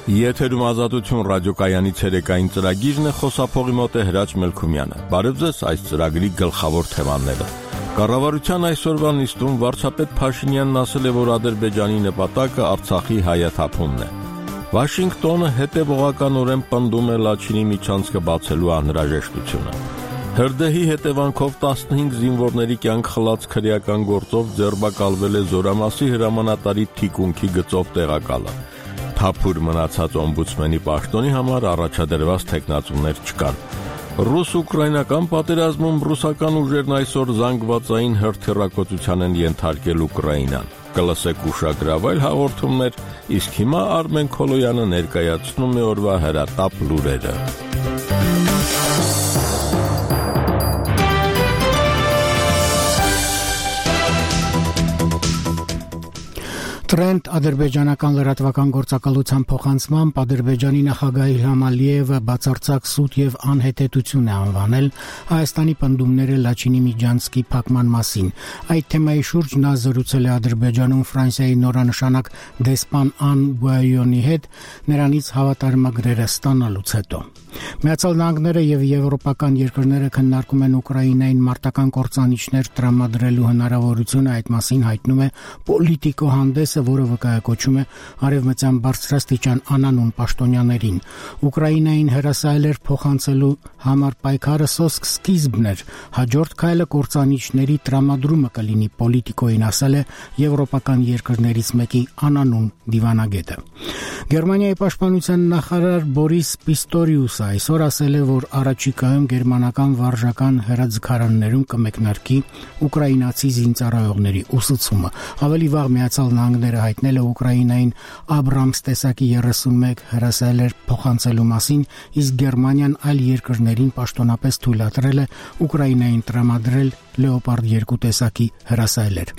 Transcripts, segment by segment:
Եթերում ազատություն ռադիոկայանի ցերեկային ծրագիրն է, խոսափողի մոտ է Հրաչ Մելքումյանը։ Բարև ձեզ, այս ծրագրի գլխավոր թեմաները։ Կառավարության այսօրվա նիստում վարչապետ Փաշինյանն ասել է, որ Ադրբեջանի նպատակը Արցախի հայաթափումն է։ Վաշինգտոնը հետևողականորեն պնդում է Լաչինի միջանցքը բացելու անհրաժեշտությունը։ Հրդեհի հետևանքով 15 զինվորների կյանք խլած քրեական գործով ձերբակալվել է Զորամասի հրամանատարի թիկունքի գծով տեղակալը։ Թափուր մնացած օմբուդսմենի պաշտոնի համար առաջադրված թեկնածուներ չկան։ Ռուս-ուկրաինական պատերազմում ռուսական ուժերն այսօր զանգվածային հրթիռակոծության են ենթարկել Ուկրաինան։ Կլսեք ուշագրավայր հաղորդումներ, իսկ հիմա Արմեն Քոլոյանը ներկայացնում է օրվա հրատապ լուրերը։ Տրենդ ադրբեջանական լրատվական գործակալության փոխանցմամբ Ադրբեջանի նախագահ Իլհամ Ալիևը բացարձակ սուտ եւ անհետեթություն է անվանել Հայաստանի պնդումները Լաչինի միջանցքի փակման մասին։ Այդ թեմայի շուրջ նա զրուցել է Ադրբեջանում Ֆրանսիայի նորանշանակ դեսպան Ան Բուայոնի հետ նրանից հավատարմագրերը ստանալուց հետո։ Միացյալ Նահանգները եւ եվրոպական երկրները քննարկում են Ուկրաինային մարտական կործանիչներ տրամադրելու հնարավորությունը, այդ մասին հայտնում է Պոլիտիկո հանդեսը, որը վկայակոչում է արևմտյան բարձրաստիճան անանուն պաշտոնյաներին։ Ուկրաինային հրասայլեր փոխանցելու համար պայքարը սոսկ սկիզբն էր, հաջորդ քայլը կործանիչների տրամադրումը կլինի, Պոլիտիկոին ասել է եվրոպական երկրներից մեկի անանուն դիվանագետը։ Գերմանիայի պաշտպանության նախարար Բորիս Պիստորիուսը այսօր ասել է, որ առաջիկայում գերմանական վարժական հրաձգարաններում կմեկնարկի ուկրաինացի զինծառայողների ուսուցումը։ Ավելի վաղ Միացյալ Նահանգները հայտնել է Ուկրաինային Աբրամս տեսակի 31 հրասայլեր փոխանցելու մասին, իսկ Գերմանիան այլ երկրներին պաշտոնապես թույլատրել է Ուկրաինային տրամադրել Լեոպարդ 2 տեսակի հրասայլեր։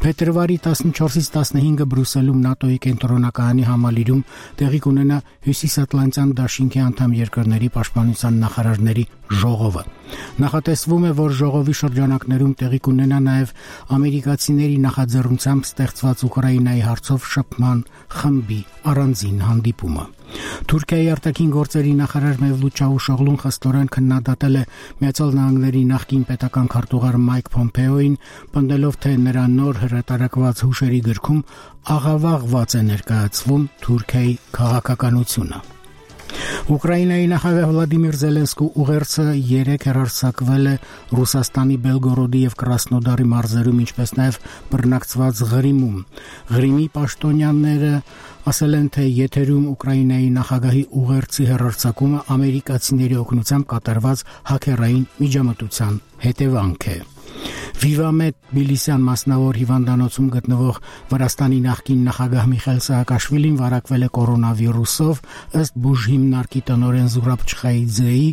Փետրվարի 14-ից 15-ը Բրյուսելում ՆԱՏՕ-ի կենտրոնակայանի համալիրում տեղի կունենա Հյուսիսատլանտյան դաշինքի անդամ երկրների պաշտպանության նախարարների ժողովը։ Նախատեսվում է, որ ժողովի շրջանակներում տեղի կունենա նաև ամերիկացիների նախաձեռնությամբ ստեղծված Ուկրաինայի հարցով շփման խմբի առանձին հանդիպումը։ Թուրքիայի արտաքին գործերի նախարար Մևլութ Չավուշօղլուն խստորեն քննադատել է Միացյալ Նահանգների նախկին պետական քարտուղար Մայք Փոմպեոին, պնդելով, թե նրա նոր հրատարակված հուշերի գրքում աղավաղված է ներկայացվում Թուրքիայի քաղաքականությունը։ Ուկրաինայի նախագահ Վլադիմիր Զելենսկու ուղերձը 3 հեռարձակվել է Ռուսաստանի Բելգորոդի եւ Կրասնոդարի մարզերում, ինչպես նաեւ բռնակցված Ղրիմում։ Ղրիմի պաշտոնյաները ասել են, թե եթերում Ուկրաինայի նախագահի ուղերձի հեռարձակումը ամերիկացիների օգնությամբ կատարված հաքերային միջամտության հետևանք է։ Վիվամետ Բիլիսյան մասնավոր հիվանդանոցում գտնվող Վրաստանի նախկին նախագահ Միխայել Սահակաշվիլին վարակվել է կորոնավիրուսով, ըստ բուժհիմնարկի տնօրեն Զուրաբ Չխայիձեի,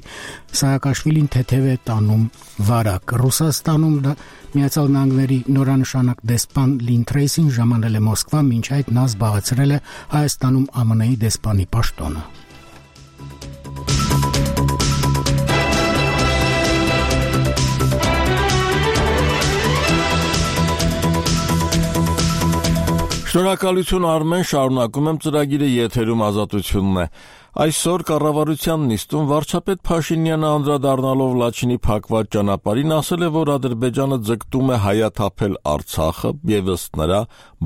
Սահակաշվիլին թեթև է տանում վարակ։ Ռուսաստանում Միացյալ Նահանգների նորանշանակ դեսպան Լին Թրեյսին ժամանել է Մոսկվա, մինչ այդ նա զբաղեցրել է Հայաստանում ԱՄՆ-ի դեսպանի պաշտոնը։ Շնորհակալություն Արմեն, շարունակում եմ ծրագիրը, եթերում ազատությունն է։ Այսօր կառավարության նիստում վարչապետ Փաշինյանը անդրադառնալով Լաչինի փակված ճանապարհին ասել է, որ Ադրբեջանը ձգտում է հայաթափել Արցախը եւ ըստ նրա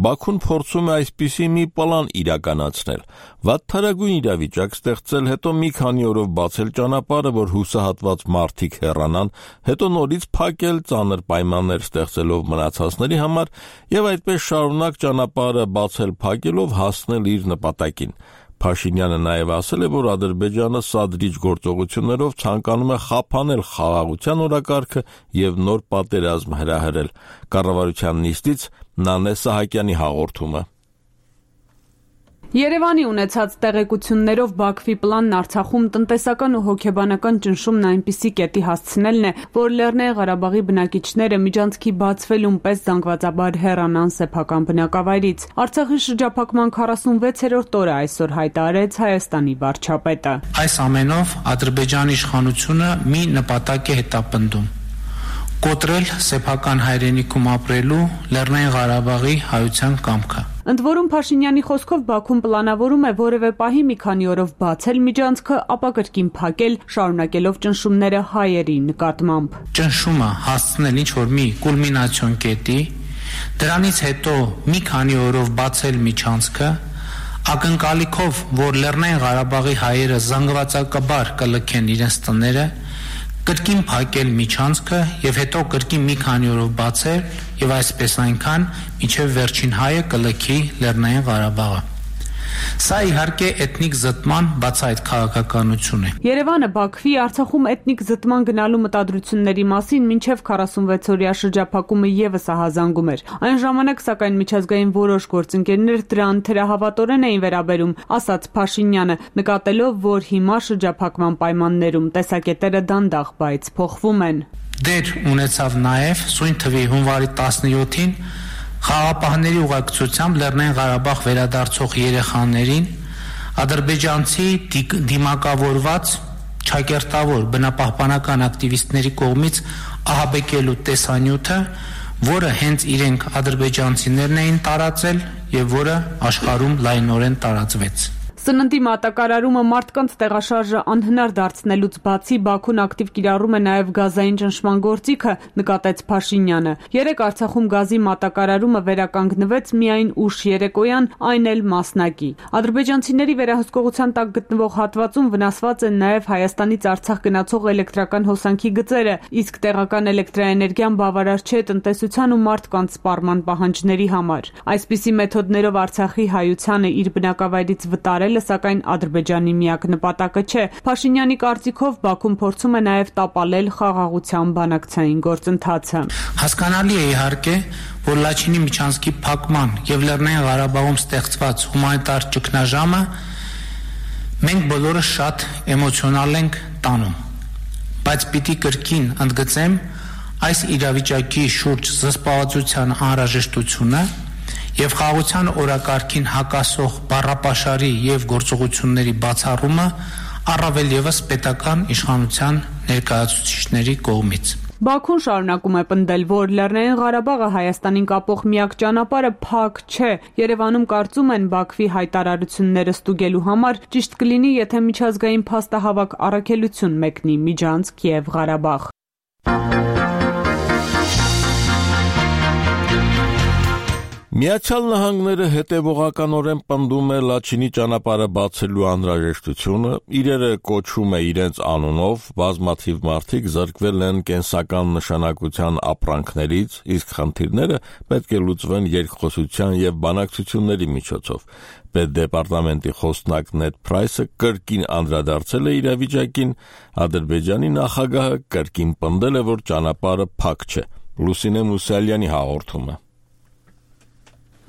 Բաքուն փորձում է այսպիսի մի պլան իրականացնել՝ վատթարագույն իրավիճակ ստեղծել, հետո մի քանի օրով բացել ճանապարհը, որ հուսահատված մարդիկ հեռանան, հետո նորից փակել, ծանր պայմաններ ստեղծելով մնացածների համար եւ այդպես շարունակ ճանապարհը բացել-փակելով հասնել իր նպատակին։ Փաշինյանը նաև ասել է, որ Ադրբեջանը սադրիչ գործողություններով ցանկանում է խափանել խաղաղության օրակարգը եւ նոր պատերազմ հրահրել։ Կառավարության նիստից Նանե Սահակյանի հաղորդումը։ Երևանի ունեցած տեղեկություններով Բաքվի պլանն Արցախում տնտեսական ու հոգեբանական ճնշումն այնպիսի կետի հասցնելն է, որ Լեռնային Ղարաբաղի բնակիչները միջանցքի բացվելուն պես զանգվածաբար հեռանան սեփական բնակավայրից։ Արցախի շրջափակման 46-րդ օրը այսօր հայտարարեց Հայաստանի վարչապետը։ Այս ամենով Ադրբեջանի իշխանությունը մի նպատակ է հետապնդում՝ կոտրել սեփական հայրենիքում ապրելու Լեռնային Ղարաբաղի հայության կամքը։ Ընդ որում Փաշինյանի խոսքով Բաքուն պլանավորում է որևէ պահի մի քանի օրով բացել միջանցքը, ապա կրկին փակել, շարունակելով ճնշումները հայերի նկատմամբ։ Ճնշումը հասցնել ինչ-որ մի կուլմինացիոն կետի, դրանից հետո մի քանի օրով բացել միջանցքը, ակնկալիքով, որ Լեռնային Ղարաբաղի հայերը զանգվածակաբար կլքեն իրենց տները, կրկին փակել միջանցքը եւ հետո կրկին մի քանի օրով բացել եւ այսպես այնքան, մինչեւ վերջին հայը կլքի Լեռնային Ղարաբաղը։ Սա իհարկե էթնիկ զտման բացահայտ քաղաքականություն է։ Երևանը Բաքվի Արցախում էթնիկ զտման գնալու մտադրությունների մասին մինչև 46-օրյա շրջափակումը եւս ահազանգում էր։ Այն ժամանակ սակայն միջազգային որոշ գործընկերներ դրան թերահավատորեն էին վերաբերում, ասաց Փաշինյանը, նկատելով, որ հիմա շրջափակման պայմաններում տեսակետերը դանդաղ, բայց փոխվում են։ Դեր ունեցավ նաեւ սույն թվի հունվարի 17-ին խաղապահների ուղեկցությամբ Լեռնային Ղարաբաղ վերադարձող երեխաներին ադրբեջանցի դիմակավորված ճակերտավոր բնապահպանական ակտիվիստների կողմից ահաբեկելու տեսանյութը, որը հենց իրենք ադրբեջանցիներն էին տարածել եւ որը աշխարհում լայնորեն տարածվեց։ Սննդի մատակարարումը մարդկանց տեղաշարժը անհնար դարձնելուց բացի Բաքուն ակտիվ կիրառում է նաև գազային ճնշման գործիքը, նկատեց Փաշինյանը։ Երեկ Արցախում գազի մատակարարումը վերականգնվեց միայն ուշ երեկոյան, այն էլ մասնակի։ Ադրբեջանցիների վերահսկողության տակ գտնվող հատվածում վնասված են նաև Հայաստանից Արցախ գնացող էլեկտրական հոսանքի գծերը, իսկ տեղական էլեկտրաէներգիան բավարար չէ տնտեսության ու մարդկանց սպառման պահանջների համար։ Այսպիսի մեթոդներով Արցախի հայությանը իր բնակավայրից վտարել սակայն Ադրբեջանի միակ նպատակը չէ։ Փաշինյանի կարծիքով Բաքուն փորձում է նաև տապալել խաղաղության բանակցային գործընթացը։ Հասկանալի է իհարկե, որ Լաչինի միջանցքի փակման եւ Լեռնային Ղարաբաղում ստեղծված հումանիտար ճգնաժամը մենք բոլորը շատ էմոցիոնալ ենք տանում, բայց պիտի կրկին ընդգծեմ այս իրավիճակի շուրջ զսպվածության անհրաժեշտությունը եւ խաղաղության օրակարգին հակասող բառապաշարի եւ գործողությունների բացառումը առավել եւս պետական իշխանության ներկայացուցիչների կողմից։ Բաքուն շարունակում է պնդել, որ Լեռնային Ղարաբաղը Հայաստանին կապող միակ ճանապարհը փակ չէ։ Երևանում կարծում են Բաքվի հայտարարությունները ստուգելու համար ճիշտ կլինի, եթե միջազգային փաստահավաք առաքելություն մեկնի Միջանցք եւ Ղարաբաղ։ Միացյալ Նահանգները հետևողականորեն պնդում է Լաչինի ճանապարհը բացելու անհրաժեշտությունը, իրերը կոչում է իրենց անունով, բազմաթիվ մարդիկ զրկվել են կենսական նշանակության ապրանքներից, իսկ խնդիրները պետք է լուծվեն երկխոսության եւ բանակցությունների միջոցով։ Պետդեպարտամենտի խոսնակ Նեդ Փրայսը կրկին անդրադարձել է իրավիճակին, Ադրբեջանի նախագահը կրկին պնդել է, որ ճանապարհը փակ չէ։ Լուսինե Մուսալյանի հաղորդումը։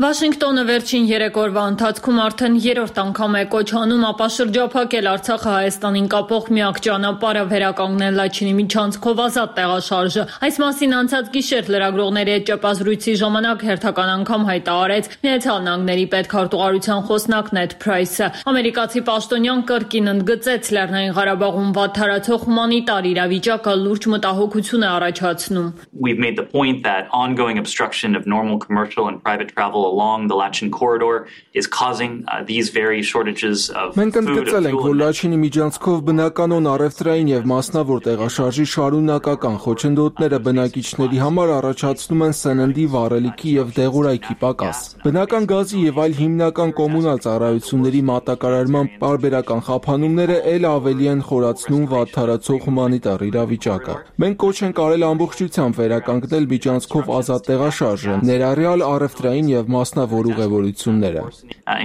Վաշինգտոնը վերջին 3 օրվա ընթացքում արդեն 3-րդ անգամ է կոչ անում ապա շրջափակել Արցախը Հայաստանին կապող միակ ճանապարհը վերականգնել Լաչինի միջանցքով ազատ տեղաշարժը։ Այս մասին անցած գիշեր լրագրողների հետ ճեպազրույցի ժամանակ հերթական անգամ հայտարարեց Միացյալ Նահանգների պետքարտուղարության խոսնակ Նեդ Փրայսը։ Ամերիկացի պաշտոնյան կրկին ընդգծեց Լեռնային Ղարաբաղում վատթարացող հումանիտար իրավիճակը լուրջ մտահոգություն է առաջացնում։ We've made the point that ongoing obstruction of normal commercial and private travel along the Lachin corridor is causing these very shortages of food. Մենք ընդգծել ենք, որ Լաչինի միջանցքով բնականոն առևտրային եւ մասնավոր տեղաշարժի շարունակական խոչընդոտները բնակիչների համար առաջացնում են սննդի, վառելիքի եւ դեղորայքի պակաս։ Բնական գազի եւ այլ հիմնական կոմունալ ծառայությունների մատակարարման պարբերական խափանումները ել ավելի են խորացնում վատթարացող հումանիտար իրավիճակը։ Մենք կոչ ենք արել ամբողջությամբ վերականգնել միջանցքով ազատ տեղաշարժը, ներառյալ առևտրային եւ մասնավոր ուղևորությունները,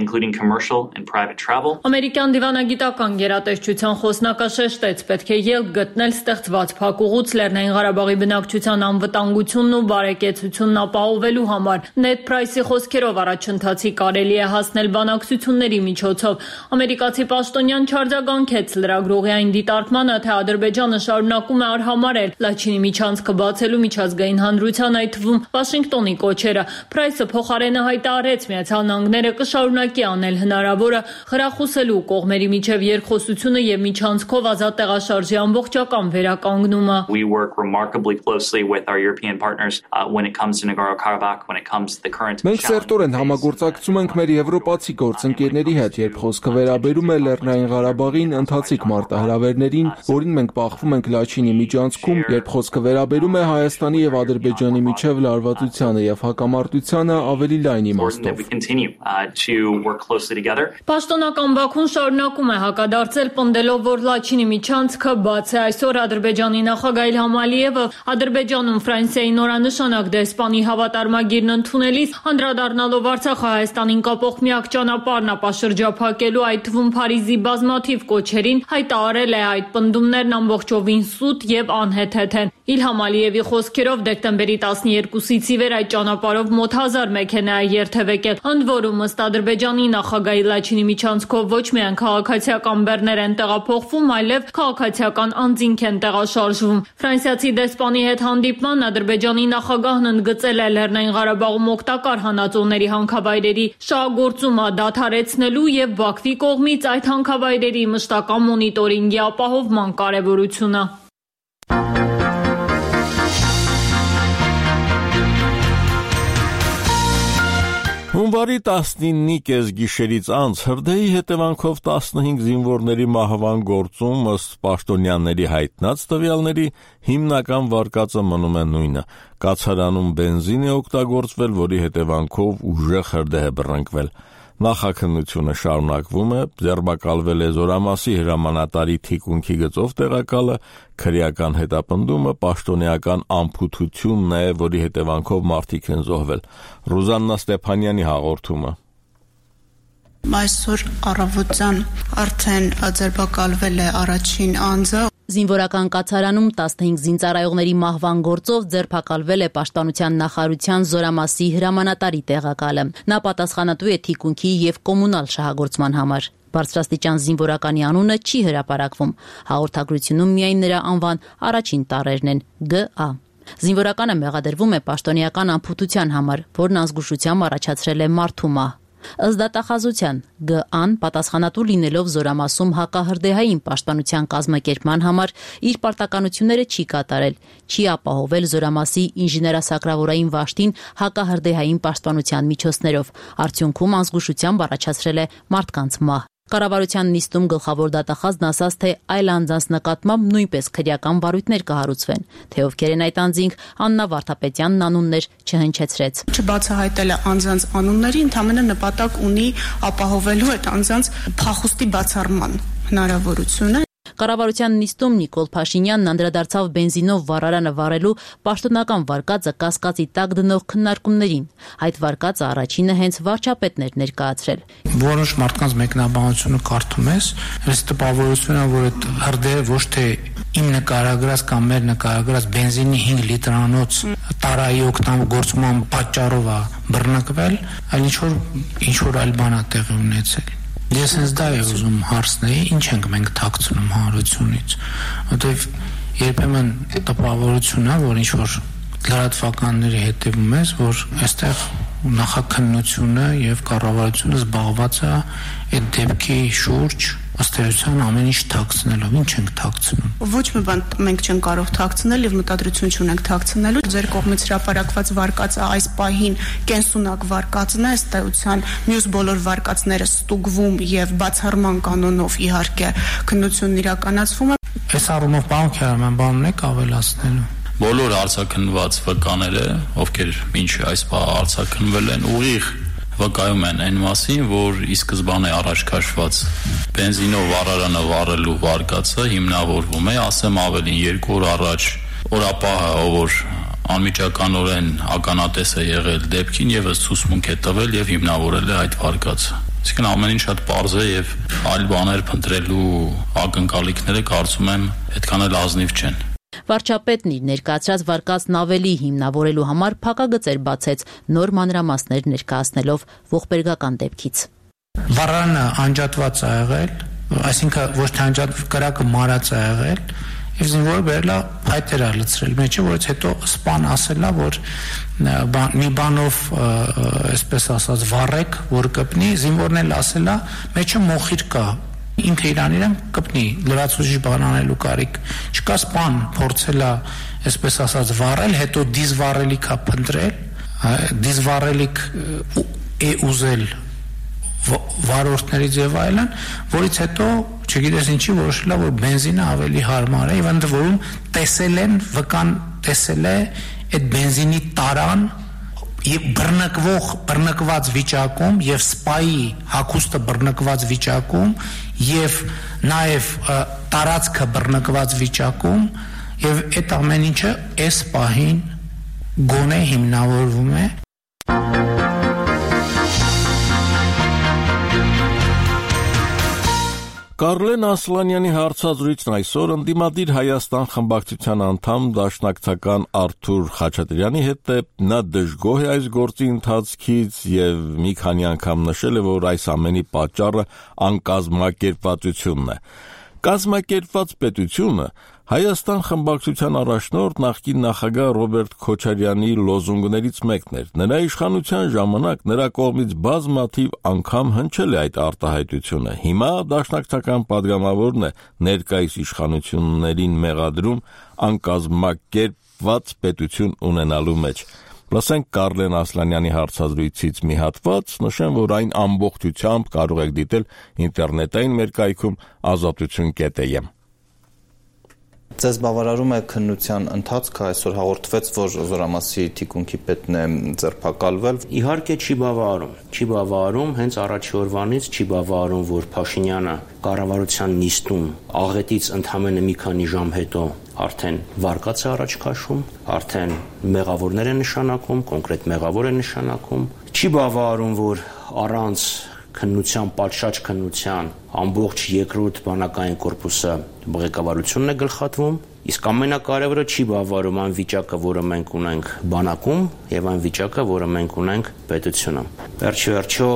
including commercial and private travel. Ամերիկյան դիվանագիտական գերատեսչության խոսնակը շեշտեց, պետք է ելք գտնել ստեղծված փակուղուց Լեռնային Ղարաբաղի բնակչության անվտանգությունն ու բարեկեցությունն ապահովելու համար։ Նեդ Փրայսի խոսքերով առաջընթացի կարելի է հասնել բանակցությունների միջոցով։ Ամերիկացի պաշտոնյան չարձագանքեց լրագրողի այն դիտարկմանը, թե Ադրբեջանը շարունակում է արհամարհել Լաչինի միջանցքը բացելու միջազգային հանրության, այդ թվում Վաշինգտոնի կոչերը։ Փրայսը փոխարենը Բայդենը հայտարարեց, Միացյալ Նահանգները կշարունակի անել հնարավորը խրախուսելու կողմերի միջև երկխոսությունը եւ միջանցքով ազատ տեղաշարժի ամբողջական վերականգնումը։ We work remarkably closely with our European partners when it comes to Nagorno-Karabakh, when it comes to the current. Մենք սերտորեն համագործակցում ենք մեր եվրոպացի գործընկերների հետ, երբ խոսքը վերաբերում է Լեռնային Ղարաբաղին, ընթացիկ մարտահրավերներին, որին մենք բախվում ենք Լաչինի միջանցքում, երբ խոսքը վերաբերում է Հայաստանի եւ Ադրբեջանի միջև լարվածությանը եւ հակամարտությանը ավելի լայն իմաստով։ Պաշտոնական Բաքուն շարունակում է հակադարձել, պնդելով, որ Լաչինի միջանցքը բաց է։ Այսօր Ադրբեջանի նախագահ Իլհամ Ալիևը Ադրբեջանում Ֆրանսիայի նորանշանակ դեսպանի հավատարմագիրն ընդունելիս անդրադառնալով Արցախը Հայաստանին կապող միակ ճանապարհն ապաշրջափակելու, այդ թվում Փարիզի բազմաթիվ կոչերին, հայտարարել է այդ պնդումներն ամբողջովին սուտ եւ անհեթեթ են։ Իլհամ Ալիևի խոսքերով դեկտեմբերի 12-ից ի վեր այդ ճանապարհով մոտ 1000 մեքենա է երթևեկել, ընդ որում ըստ Ադրբեջանի նախագահի Լաչինի միջանցքով ոչ միայն քաղաքացիական բեռներ են տեղափոխվում, այլև քաղաքացիական անձինք են տեղաշարժվում։ Ֆրանսիացի դեսպանի հետ հանդիպման Ադրբեջանի նախագահն ընդգծել է Լեռնային Ղարաբաղում օգտակար հանածոների հանքավայրերի շահագործումը դադարեցնելու եւ Բաքվի կողմից այդ հանքավայրերի մշտական մոնիտորինգի ապահովման կարեւորությունը։ Հունվարի 19-ի կեսգիշերից անց հրդեհի հետևանքով 15 զինվորների մահվան գործում ըստ պաշտոնյաների հայտնած տվյալների հիմնական վարկածը մնում է նույնը։ Կացարանում բենզին է օգտագործվել, որի հետևանքով ուժեղ հրդեհ է բռնկվել։ Նախաքննությունը շարունակվում է, ձերբակալվել է Զորամասի հրամանատարի թիկունքի գծով տեղակալը, քրեական հետապնդումը պաշտոնեական անփութությունն է, որի հետևանքով մարդիկ են զոհվել։ Ռուզաննա Ստեփանյանի հաղորդումը։ Այսօր առավոտյան արդեն ձերբակալվել է առաջին անձը։ Զինվորական կացարանում 15 զինծառայողների մահվան գործով ձերբակալվել է Պաշտպանության նախարարության Զորամասի հրամանատարի տեղակալը։ Նա պատասխանատու է թիկունքի եւ կոմունալ շահագործման համար։ Բարձրաստիճան զինվորականի անունը չի հրապարակվում։ Հաղորդագրությունում միայն նրա անվան առաջին տառերն են՝ ԳԱ։ Զինվորականը մեղադրվում է պաշտոնեական անփութության համար, որն անզգուշությամբ առաջացրել է մարդու մահ։ Ըստ դատախազության ԳԱ-ն պատասխանատու լինելով Զորամասում հակահրդեհային պաշտպանության կազմակերպման համար իր պարտականությունները չի կատարել, չի ապահովել Զորամասի ինժեներասակրավորային վաշտին հակահրդեհային պաշտպանության միջոցներով, արդյունքում անզգուշությամբ առաջացրել է մարդկանց մահ։ Կառավարության նիստում գլխավոր դատախազն ասաց, թե այլ անձանց նկատմամբ նույնպես քրեական վարույթներ կհարուցվեն, թե ովքեր են այդ անձինք, Աննա Վարդապետյանն անուններ չհնչեցրեց։ Չբացահայտել է անձանց անունների, ընդհանրապես նպատակ ունի ապահովելու այդ անձանց փախուստի բացառման հնարավորությունը։ Կառավարության նիստում Նիկոլ Փաշինյանն անդրադարձավ բենզինով վառարանը վառելու պաշտոնական վարկածը կասկածի տակ դնող քննարկումներին։ Այդ վարկածը առաջինը հենց վարչապետն էր ներկայացրել։ Որոշ մարդկանց մեկնաբանությունը կարդում ես, այս տպավորությունը, որ այդ հրդեհը ոչ թե իմ նկարագրած կամ մեր նկարագրած բենզինի 5 լիտրանոց տարայի օգտագործման պատճառով է բռնկվել, այլ ինչ որ այլ բան է տեղի ունեցել։ Ես հենց դա եմ ուզում հարցնել, ինչ ենք մենք թաքցնում հանրությունից, որտեվ երբեմն տպավորություն է, որ ինչ որ լրատվականների հետևում ես, որ այստեղ նախաքննությունը եւ կառավարությունը զբաղված է այդ դեպքի շուրջ ըստ էության ամեն ինչ թաքցնելով, ինչ ենք թաքցնում։ Ոչ մի բան մենք չենք կարող թաքցնել եւ մտադրություն չունենք թաքցնելու։ Ձեր կողմից հրապարակված վարկածը այս պահին կենսունակ վարկածն է, ըստ էության մյուս բոլոր վարկածները ստուգվում եւ բացառման կանոնով իհարկե քննությունն իրականացվում է։ Այս առումով պարոն Քյարամյան, բանն եք ավելացնելու։ Բոլոր արձակնված վկաները, ովքեր մինչ այս բանը արձակնվել են, ուղիղ վկայում են այն մասին, որ ի սկզբանե առաջ քաշված բենզինով վառարանը վառելու վարկածը հիմնավորվում է, ասեմ ավելին, 2 օր առաջ օրապահը, որ անմիջականորեն ականատես է եղել դեպքին, եւս ցուցմունք է տվել եւ հիմնավորել է այդ վարկածը։ Այսինքն ամեն ինչ շատ պարզ է եւ այլ բաներ փնտրելու ակնկալիքները կարծում եմ այդքան էլ ազնիվ չեն։ Վարչապետն իր ներկայացրած վարկածն ավելի հիմնավորելու համար փակագծեր բացեց, նոր մանրամասներ ներկայացնելով ողբերգական դեպքից։ Վառարանը անջատված է եղել, այսինքն ոչ թե անջատ կրակը մարած է եղել եւ զինվորը բերելա փայտեր լցրել մեջը, որից հետո սպան ասելա, որ մի բանով այսպես ասած վառեք, որ կպնի, զինվորն էլ ասելա, մեջը մոխիր կա, ինքը իրան կպնի, լրացուցիչ բան անելու կարիք չկա, սպան փորձելա այսպես ասած վառել, հետո դիզվառելիքա փնտրել, դիզվառելիք է ուզել վարորդներից եւ այլն, որից հետո չգիտես ինչի որոշել է, որ բենզինը ավելի հարմար է, եւ ընդ որում տեսել են, վկան տեսել է այդ բենզինի տարան եւ բռնկված վիճակում եւ սպայի հագուստը բռնկված վիճակում եւ նաեւ տարածքը բռնկված վիճակում եւ այդ ամեն ինչը այս պահին գոնե հիմնավորվում է Կարլեն Ասլանյանի հարցազրույցն այսօր ընդդիմադիր Հայաստան խմբակցության անդամ դաշնակցական Արթուր Խաչատրյանի հետ է, նա դժգոհ է այս գործի ընթացքից եւ մի քանի անգամ նշել է, որ այս ամենի պատճառը անկազմակերպվածությունն է։ Կազմակերպված պետությունը Հայաստան խմբակցության առաջնորդ նախկին նախագահ Ռոբերտ Քոչարյանի լոզունգներից մեկն էր։ Նրա իշխանության ժամանակ նրա կողմից բազմաթիվ անգամ հնչել է այդ արտահայտությունը։ Հիմա դաշնակցական падգամավորն է ներկայիս իշխանություններին մեղադրում անկազմակերպված պետություն ունենալու մեջ։ Լսենք Կարլեն Ասլանյանի հարցազրույցից մի հատված, նշեմ, որ այն ամբողջությամբ կարող եք դիտել ինտերնետային մեր կայքում azatutun.am։ Ձեզ բավարարում է քննության ընթացքը, այսօր հաղորդվեց, որ Զորամասի թիկունքի պետն է ձերբակալվել։ Իհարկե չի բավարարում, հենց առաջի օրվանից չի բավարարում, որ Փաշինյանը կառավարության նիստում աղետից ընդամենը մի քանի ժամ հետո արդեն վարկած է առաջ քաշում, արդեն մեղավորներ է նշանակում, կոնկրետ մեղավոր է նշանակում։ Չի բավարարում, որ առանց քննության, պատշաճ քննության ամբողջ երկրորդ բանակային կորպուսը ղեկավարությունն է գլխատվում, իսկ ամենակարևորը չի բավարարում այն վիճակը, որը մենք ունենք բանակում եւ այն վիճակը, որը մենք ունենք պետությունում։ Վերջիվերջո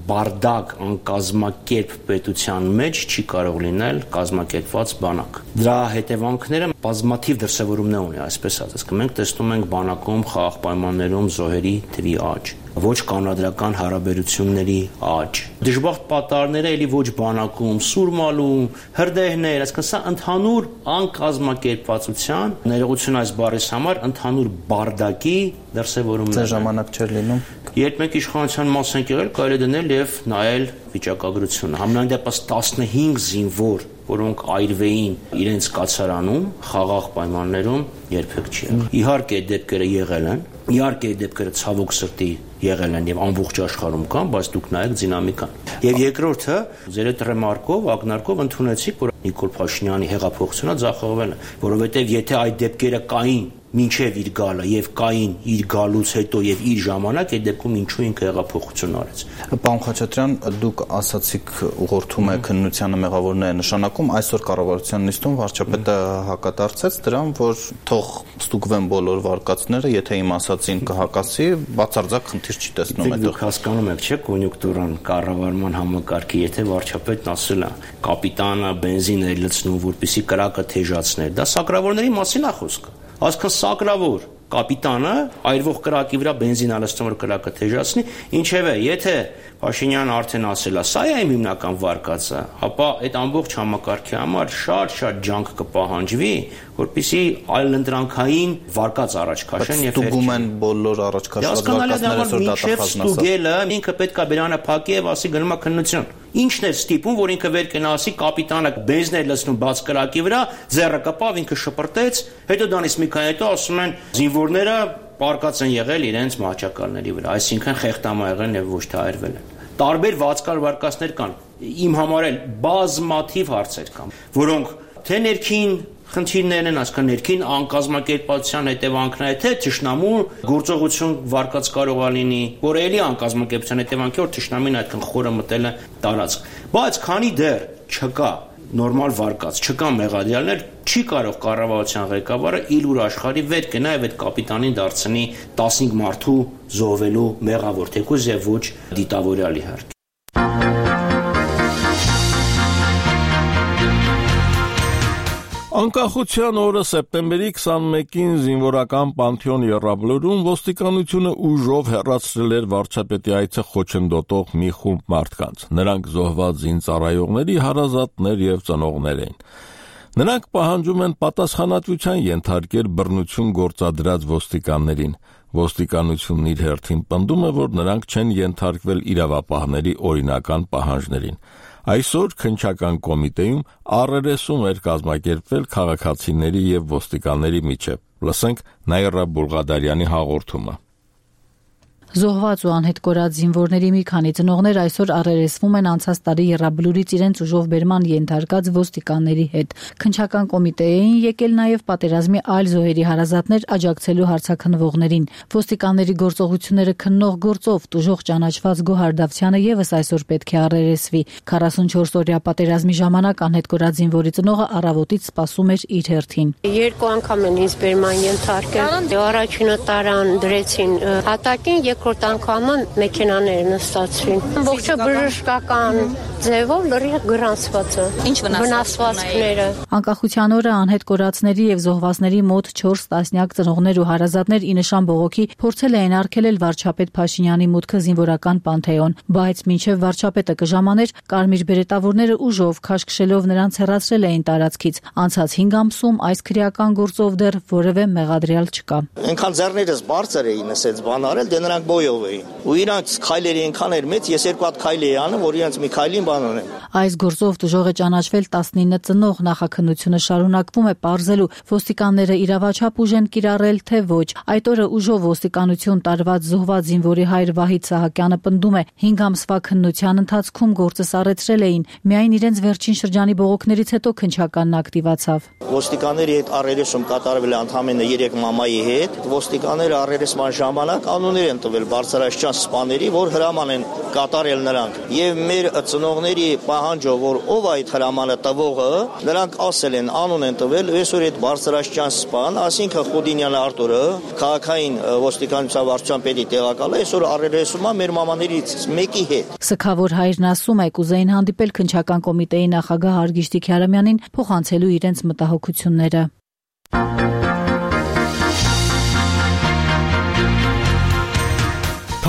բարդակ անկազմակերպ պետության մեջ չի կարող լինել կազմակերպված բանակ։ Դրա հետևանքները բազմաթիվ դրսևորումներ ունի, այսպես ասած, մենք տեսնում ենք բանակում խաղաղ պայմաններում զոհերի թվի աճ, ոչ կանոնադրական հարաբերությունների աճ, դժբախտ պատառները էլի ոչ բանակում, սուրմալում, հրդեհներ, այսինքն սա ընդհանուր անկազմակերպվածության, ներողություն այս բառից համար, ընդհանուր բարդակի դրսևորումներ։ Ձեր ժամանակ չէր լինում։ Երբ մենք իշխանության մաս ենք եղել, կարելի է դնել եւ նայել վիճակագրությունը։ Համենայն դեպս 15 զինվոր, որոնք այրվեին իրենց կացարանում, խաղաղ պայմաններում երբեք չի եղել։ Իհարկե դեպքերը եղել են, իհարկե դեպքերը ցավոք սրտի եղել են եւ ամբողջ աշխարհում կան, բայց դուք նայեք դինամիկան։ Եվ երկրորդը, ձեր այդ ռեմարկով, ակնարկով ընդունեցիք, որ Նիկոլ Փաշինյանի հեղափոխությունը ձախողվել է, որովհետեւ եթե այդ դեպքերը կային մինչև իր գալը եւ կային իր գալուց հետո եւ իր ժամանակ, այդ դեպքում ինչու ինքը հեղափոխություն արեց։ Պարոն Խաչատրյան, դուք ասացիք ուղղորդում է քննությանը մեղավորները նշանակում, այսօր կառավարության նիստում վարչապետը հակադարձեց դրան, որ թող ստուգվեն բոլոր վարկածները, եթե իմ ասածին կհակասի, բացարձակ խնդիր չի տեսնում այդտեղ։ Դուք հասկանում եք, չէ՞, կոնյունկտուրան կառավարման համակարգի, եթե վարչապետն ասել է, կապիտանը բենզին է լցնում, որպեսզի կրակը թեժացներ, դա սակրավորների մասին է խոսքը։ Այսքան սակրավոր կապիտանը այրվող կրակի վրա բենզին ալստում որ կրակը թեժացնի, ինչևէ, եթե Փաշինյանը արդեն ասել է, սա է իմ հիմնական վարկածը, ապա այդ ամբողջ համակարգի համար շատ ջանք կպահանջվի, որպեսզի այլընտրանքային վարկած առաջ քաշեն եւ ստուգում են բոլոր առաջ քաշված վարկածները այսօր դատախազն ասա։ Ստուգելը ինքը պետք է բերանը փակի եւ ասի գնում է քննություն։ Ինչն է ստիպում, որ ինքը վեր կենա ասի կապիտանը բենզին է լցնում բաց կրակի վրա, ձեռը կպավ, ինքը շպրտեց, հետո դրանից մի քանի հետո ասում են զինվորները պարկած են եղել իրենց մահճակալների վրա, այսինքն խեղտամա եղել եւ ոչ թե այրվել են։ Տարբեր վարձկար վարկածներ կան։ Իմ համար էլ բազմաթիվ հարցեր կան, որոնք թե ներքին խնդիրներն են, այսքան ներքին անկազմակերպվածության հետևանքն է, թե թշնամու գործողություն վարկած կարող է լինի, որ էլի անկազմակերպության հետևանքի որ թշնամին այդքան խորը մտել է տարածք։ Բայց քանի դեռ չկա նորմալ վարկած, չկա մեղադրյալներ, չի կարող կառավարության ղեկավարը իլուր աշխարհի վեր կենա եւ այդ կապիտանին դարձնի 15 մարդու զոհվելու մեղավոր, թեկուզ եւ ոչ դիտավորյալ իհարկե։ Անկախության օրը սեպտեմբերի 21-ին զինվորական Պանթեոն եռաբլուրում ոստիկանությունը ուժով հեռացրել էր վարչապետի այցը խոչընդոտող մի խումբ մարդկանց։ Նրանք զոհված զինծառայողների հարազատներ եւ ծնողներ էին։ Նրանք պահանջում են պատասխանատվության ենթարկել բռնություն գործադրած ոստիկաններին։ Ոստիկանությունն իր հերթին պնդում է, որ նրանք չեն ենթարկվել իրավապահների օրինական պահանջներին։ Այսօր քննչական կոմիտեում առերեսում էր կազմակերպվել քաղաքացիների եւ ոստիկանների միջեւ։ Լսենք Նաիրա Բուլղադարյանի հաղորդումը։ Զոհված ու անհետ կորած զինվորների մի քանի ծնողներ այսօր առերեսվում են անցած տարի Եռաբլուրից իրենց ուժով բերման ենթարկած ոստիկանների հետ։ Քննչական կոմիտեին եկել նաև պատերազմի այլ զոհերի հարազատներ աջակցելու հարցաքննվողներին։ Ոստիկանների գործողությունները քննող գործով տուժող ճանաչված Գոհար Դավթյանը եւս այսօր պետք է առերեսվի։ 44-օրյա պատերազմի ժամանակ անհետ կորած զինվորի ծնողը առավոտից սպասում էր իր հերթին։ Երկու անգամ են ինձ բերման ենթարկել։ Առաջինը տարան դրեցին հատակին, երկրորդ անգամը մեքենաները նստացրին։ Ողջը բժշկական ձևով լրիվ գրանցված է։ Ինչ վնասվածքները։ Անկախության օրը անհետ կորածների եւ զոհվածների մոտ 4 տասնյակ ծնողներ ու հարազատներ ի նշան բողոքի փորձել էին արգելել վարչապետ Փաշինյանի մուտքը զինվորական Պանթեոն, բայց մինչև վարչապետը կժամաներ, կարմիր բերետավորները ուժով քաշքշելով նրանց հեռացրել էին տարածքից։ Անցած 5 ամսում այս քրեական գործով դեռ որևէ մեղադրյալ չկա։ Այնքան ձեռներս բարձր էին ասած բան արել, դե նրանք բոյով էին։ Ու իրանց քայլերի այնքան էր մեծ, ես երկու հատ քայլ էի անում, որ իրանց մի քայլին բան անեմ։ Այս գործով տուժող է ճանաչվել 19 ծնող, նախաքննությունը շարունակվում է պարզելու ոստիկանները իրավաչափ ուժ են կիրառել, թե ոչ։ Այդ օրը ուժով ոստիկանություն տարված զոհված զինվորի հայր Վահիթ Սահակյանը պնդում է, 5 ամսվա քննության ընթացքում գործը սառեցրել էին, միայն իրենց վերջին շրջանի բողոքներից հետո քննչականն ակտիվացավ։ Ոստիկանների հետ առերեսում կատարվել է ընդամենը 3 մամայի հետ։ Ոստիկանները առերեսման ժամանակ անուններ են տվել բարձրաստիճան սպաների, որ հրաման են կատարել նրանք։ Եվ մեր ծնողների պահանջով, որ ով այդ հրամանը տվողը, նրանք ասել են, անուն են տվել, այսօր այդ բարձրաստիճան սպան, ասինքն Խուդինյան Արտուրը, քաղաքային ոստիկանության վարչության պետի տեղակալը, այսօր առերեսում է մեր մամաներից մեկի հետ։ Սգավոր հայրն ասում է, կուզեին հանդիպել քննչական կոմիտեի նախագահ Հարգիշտի Քյարամյանին փոխանցելու իրենց մտահոգությունները։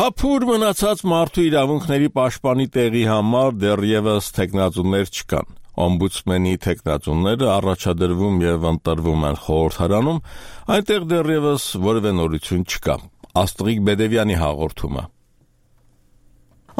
Թափուր մնացած մարդու իրավունքների պաշտպանի տեղի համար դեռևս թեկնածուներ չկան։ Օմբուդսմենի թեկնածուները առաջադրվում եւ ընտրվում են խորհրդարանում, այնտեղ դեռևս որևէ նորություն չկա։ Աստղիկ Բեդևյանի հաղորդումը։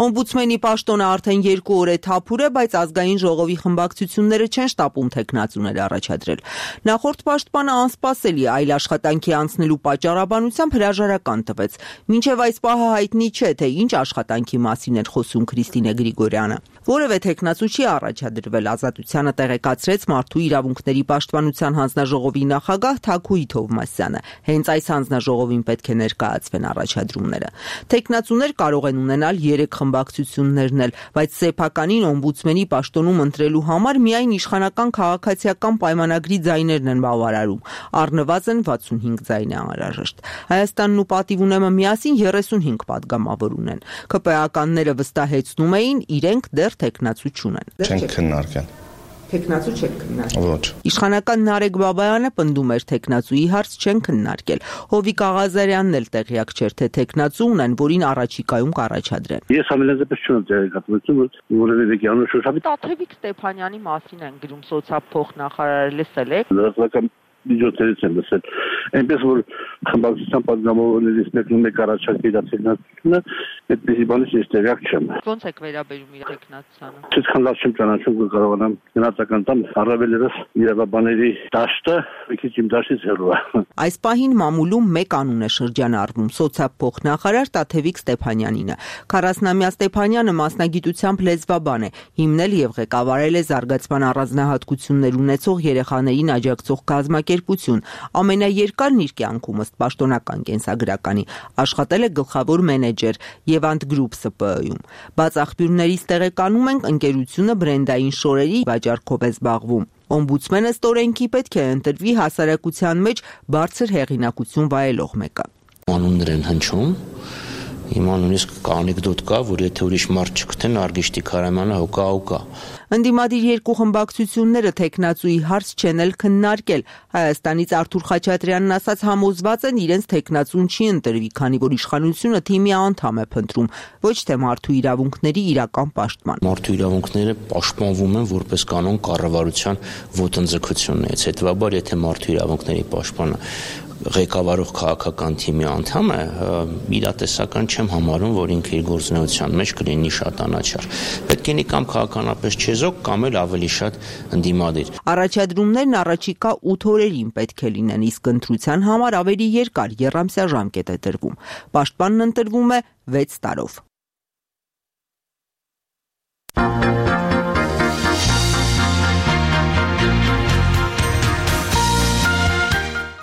Օմբուդսմենի պաշտոնը արդեն 2 օր է թափուր է, բայց ազգային ժողովի խմբակցությունները չեն շտապում թեկնածուներ առաջադրել։ Նախորդ պաշտպանը անսպասելի այլ աշխատանքի անցնելու պատճառաբանությամբ հրաժարական տվեց։ Մինչև այս պահը հայտնի չէ, թե ինչ աշխատանքի մասին էր խոսում Քրիստինե Գրիգորյանը։ Որևէ թեկնածու չի առաջադրվել, Ազատությանը տեղեկացրեց Մարդու իրավունքների պաշտպանության հանձնաժողովի նախագահ Թաքուի Թովմասյանը։ Հենց այս հանձնաժողովին պետք է ներկայացվեն առաջադրումները։ Թեկնածուներ կարող են ունենալ 3 խմբակցություններն էլ, բայց սեփականին օմբուդսմենի պաշտոնում ընտրելու համար միայն իշխանական քաղաքացիական պայմանագրի ձայներն են բավարարում։ Առնվազն 65 ձայն է անհրաժեշտ։ Հայաստանն ու Պատիվունեմը միասին 35 падգամավոր ունեն։ ԿՊԱ-ականները վստահեցնում էին, իրենք դեռ թեկնածու չունեն։ Չեն քննարկել։ Թեկնածու չեն քննարկել։ Ոչ։ Իշխանական Նարեկ Բաբայանը պնդում էր թեկնածուի հարց չեն քննարկել։ Հովիկ Աղազարյանն էլ տեղյակ չէր, թե թեկնածու ունեն, որին առաջիկայում կառաջադրեն։ Ես ամենազեպս չունեմ տեղեկատվություն, որովհետև Վեկյանը շոշափի Տաթևիկ Ստեփանյանի մասին են գրում սոցիալ-փոխնախարարը լսել եք։ Լրատվական միջոցներից են լսել։ Այնպես որ խմբակցության падգամավորներից մեկն մեկ առաջարկել է թեկնածությունը, այդպեսի բանից ես տեղյակ չեմ։ Ոնց եք վերաբերում իր թեկնածությանը։ Այսքան լավ չեմ ճանաչում, որ կարողանամ գնահատական տամ, առավել ևս իրավաբանների դաշտը մի քիչ իմ դաշտից հեռու է։ Այս պահին մամուլում մեկ անուն է շրջանառվում՝ սոցիալ-փոխնախարար Տաթևիկ Ստեփանյանինը։ 40-ամյա Ստեփանյանը մասնագիտությամբ լեզվաբան է, հիմնել եւ ղեկավարել է զարգացման առանձնահատկություններ ունեցող երեխաներին աջակցող կազմակերպություն, ամենաերկարն իր կյանքում ըստ պաշտոնական կենսագրականի, աշխատել է գլխավոր մենեջեր Եվանդ Գրուպ ՍՊԸ-ում։ Բաց աղբյուրներից տեղեկանում ենք, ընկերությունը բրենդային շորերի վաճառքով է զբաղվում։ Օմբուդսմենը ստորենքի պետք է ընտրվի հասարակության մեջ բարձր հեղինակություն վայելող մեկը։ Անուններ են հնչում Հիմա նույնիսկ կա անեկդոտ կա, որ եթե ուրիշ մարդ չգտնեն, Արգիշտի Քարամյանը հոգա։ Ընդդիմադիր երկու խմբակցությունները թեկնածուի հարց չեն էլ քննարկել։ Հայաստանից Արթուր Խաչատրյանն ասաց համոզված են իրենց թեկնածուն չի ընտրվի, քանի որ իշխանությունը թիմի անդամ է փնտրում, ոչ թե մարդու իրավունքների իրական պաշտպան։ Մարդու իրավունքները պաշտպանվում են որպես կանոն կառավարության ոտնձգություններից։ Հետևաբար, եթե մարդու իրավունքների պաշտպանը ղեկավարող քաղաքական թիմի անդամ է, իրատեսական չեմ համարում, որ ինքը իր գործունեության մեջ կլինի շատ անաչառ։ Պետք է կամ քաղաքականապես չեզոք, կամ էլ ավելի շատ ընդդիմադիր։ Առաջադրումներն առաջիկա 8 օրերին պետք է լինեն, իսկ ընտրության համար ավելի երկար եռամսյա ժամկետ է տրվում։ Պաշտպանն ընտրվում է 6 տարով։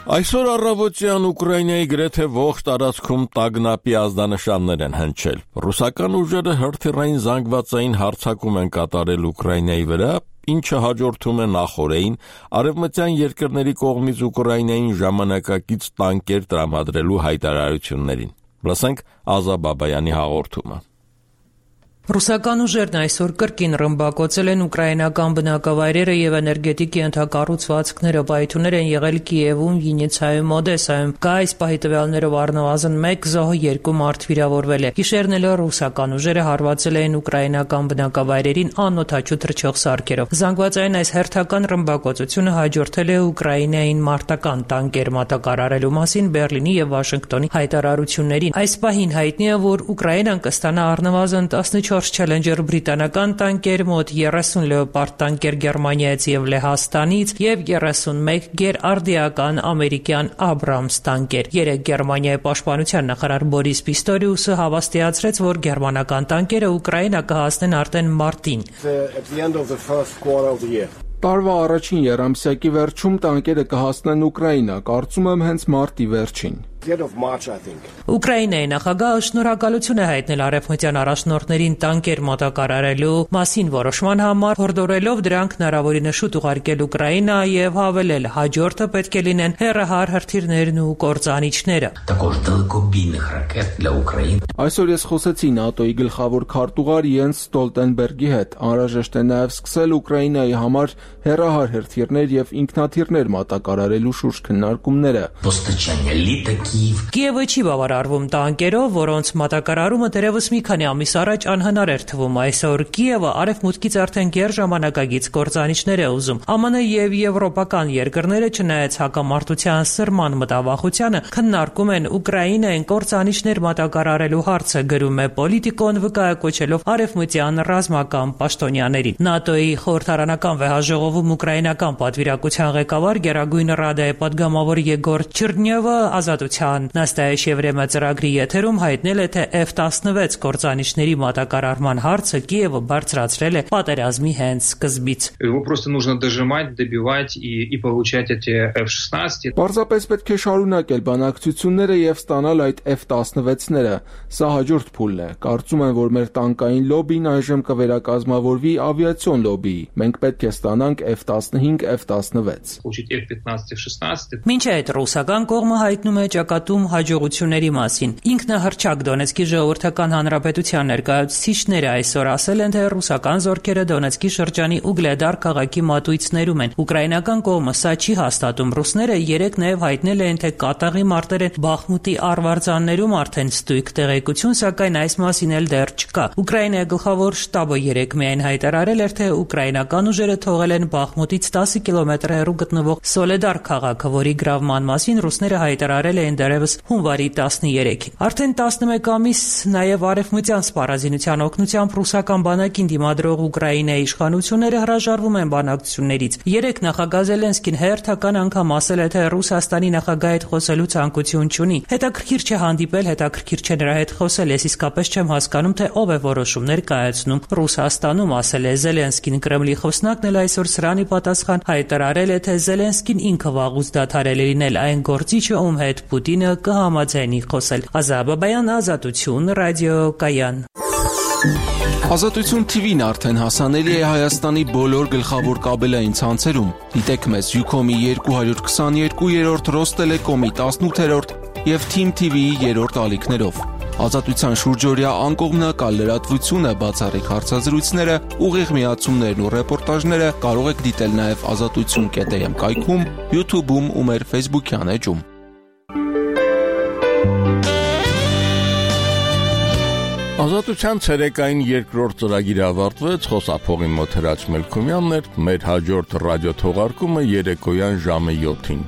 Այսօր առավոտյան Ուկրաինայի գրեթե ողջ տարածքում տագնապի ազդանշաններ են հնչել։ Ռուսական ուժերը հրթիռային զանգվածային հարձակում են կատարել Ուկրաինայի վրա, ինչը հաջորդում է նախօրեին արևմտյան երկրների կողմից Ուկրաինային ժամանակակից տանկեր տրամադրելու հայտարարություններին։ Լսենք Ազա Բաբայանի հաղորդումը։ Ռուսական ուժերն այսօր կրկին ռմբակոծել են ուկրաինական բնակավայրերը եւ էներգետիկ ենթակառուցվածքները, պայթուններ են եղել Կիևում, Վիննիցայում, Օդեսայում։ Կա այս պահի տվյալներով առնվազն 1 զոհ, 2 մարդ վիրավորվել է։ Գիշերն էլ ռուսական ուժերը հարվածել են ուկրաինական բնակավայրերին անօթաչու թռչող սարքերով։ Զանգվածային այս հերթական ռմբակոծությունը հաջորդել է Ուկրաինային մարտական տանկեր մատակարարելու մասին Բերլինի եւ Վաշինգտոնի հայտարարություններին։ Այս պահին հայտնի է, որ Ուկրաինան կստանա առնվազն 14 Challenger բրիտանական տանկեր, մոտ 30 Leopard տանկեր Գերմանիայից եւ Լեհաստանից եւ 31 գերարդիական ամերիկյան Abrams տանկեր։ Երեկ Գերմանիայի պաշտպանության նախարար Բորիս Պիստորիուսը հավաստիացրեց, որ գերմանական տանկերը Ուկրաինա կհասնեն արդեն մարտին։ Տարվա առաջին եռամսյակի վերջում տանկերը կհասնեն Ուկրաինա, կարծում եմ հենց մարտի վերջին։ Ուկրաինայի նախագահը շնորհակալություն է հայտնել արևմտյան առաջնորդներին տանկեր մատակարարելու մասին որոշման համար, հորդորելով դրանք հնարավորինս շուտ ուղարկել Ուկրաինա եւ հավելել հաջորդը պետք է լինեն հեռահար հրթիռներն ու կործանիչները։ Այսօր ես խոսեցի ՆԱՏՕ-ի գլխավոր քարտուղար Յենս Ստոլտենբերգի հետ։ Անհրաժեշտ է նաեւ սկսել Ուկրաինայի համար հեռահար հրթիռներ եւ ինքնաթիռներ մատակարարելու շուրջ քննարկումները։ Կիևը չի բավարարվում տանկերով, որոնց մատակարարումը դեռևս մի քանի ամիս առաջ անհնար էր թվում։ Այսօր Կիևը արևմուտքից արդեն գերժամանակագից կործանիչներ է ուզում։ ԱՄՆ եւ եվրոպական երկրները, չնայած հակամարտության սրման մտավախությանը, քննարկում են Ուկրաինային կործանիչներ մատակարարելու հարցը, գրում է Պոլիտիկոն, վկայակոչելով արևմտյան ռազմական պաշտոնյաներին։ ՆԱՏՕ-ի խորհրդարանական վեհաժողովում ուկրաինական պատվիրակության ղեկավար Գերագույն Ռադայի պատգամավոր Եգոր Չիրնյովը Ազատության Նաստայաշևրեմը ծրագրի եթերում հայտնել է, թե F-16 կործանիչների մատակարարման հարցը Կիևը բարձրացրել է պատերազմի հենց սկզբից։ Պարզապես պետք է շարունակել բանակցությունները եւ ստանալ այդ F-16-ները։ Սա հաջորդ փուլն է։ Կարծում եմ, որ մեր տանկային լոբին այժմ կվերակազմավորվի ավիացիոն լոբիի։ Մենք պետք է ստանանք F-15, F-16։ Մինչ այդ ռուսական կողմը հայտնում է ճակատում հաջողությունների մասին։ Ինքնահռչակ Դոնեցկի ժողովրդական հանրապետության ներկայացուցիչները այսօր ասել են, թե ռուսական զորքերը Դոնեցկի շրջանի Ուգլեդար քաղաքի մատույցներում են։ Ուկրաինական կողմը սա չի հաստատում։ Ռուսները երեկ նաև հայտնել են, թե կատաղի մարտեր են Բախմուտի արվարձաններում արդեն ստույգ տեղեկություն, սակայն այս մասին էլ դեռ չկա։ Ուկրաինայի գլխավոր շտաբը երեկ միայն հայտարարել էր, թե ուկրաինական ուժերը թողել են Բախմուտից 10 կիլոմետր հեռու գտնվող Սոլեդար քաղաքը, որի գրավման մասին ռուսները հայտարարել էին դեռևս հունվարի 13-ին։ Արդեն 11 ամիս նաև արևմտյան սպառազինության օգնությամբ ռուսական բանակին դիմադրող Ուկրաինայի իշխանությունները հրաժարվում են բանակցություններից։ Երեկ նախագահ Զելենսկին հերթական անգամ ասել է, թե Ռուսաստանի նախագահի հետ խոսելու ցանկություն չունի։ Հետաքրքիր չէ հանդիպել, հետաքրքիր չէ նրա հետ խոսել, ես իսկապես չեմ հասկանում, թե ով է որոշումներ կայացնում Ռուսաստանում, ասել է Զելենսկին։ Կրեմլի խոսնակն էլ այսօր սրանի պատասխան հայտարարել է, թե Զելենսկին ինքը վաղուց դադարել է լինել այն գործիչը, ում հետ Պուտինը կհամաձայնի խոսել։ Ազա Բաբայան, Ազատություն, ռադիոկայան։ Ազատություն TV-ն արդեն հասանելի է Հայաստանի բոլոր գլխավոր կաբելային ցանցերում։ Դիտեք մեզ Ucom-ի 222-րդ, Rostellecom-ի 18-րդ եւ Team TV-ի 3-րդ ալիքներով։ Ազատության շուրջօրյա անկողմնակալ լրատվությունը, բացառիկ հարցազրույցները, ուղիղ միացումներն ու ռեպորտաժները կարող եք դիտել նաև azatutsun.am կայքում, YouTube-ում ու մեր Facebook-յան էջում։ Ազատության ցերեկային երկրորդ ծրագիրը ավարտվեց, խոսափողի մոտ Հրաչ Մելքումյանն էր, մեր հաջորդ ռադիո թողարկումը երեկոյան ժամը 7-ին։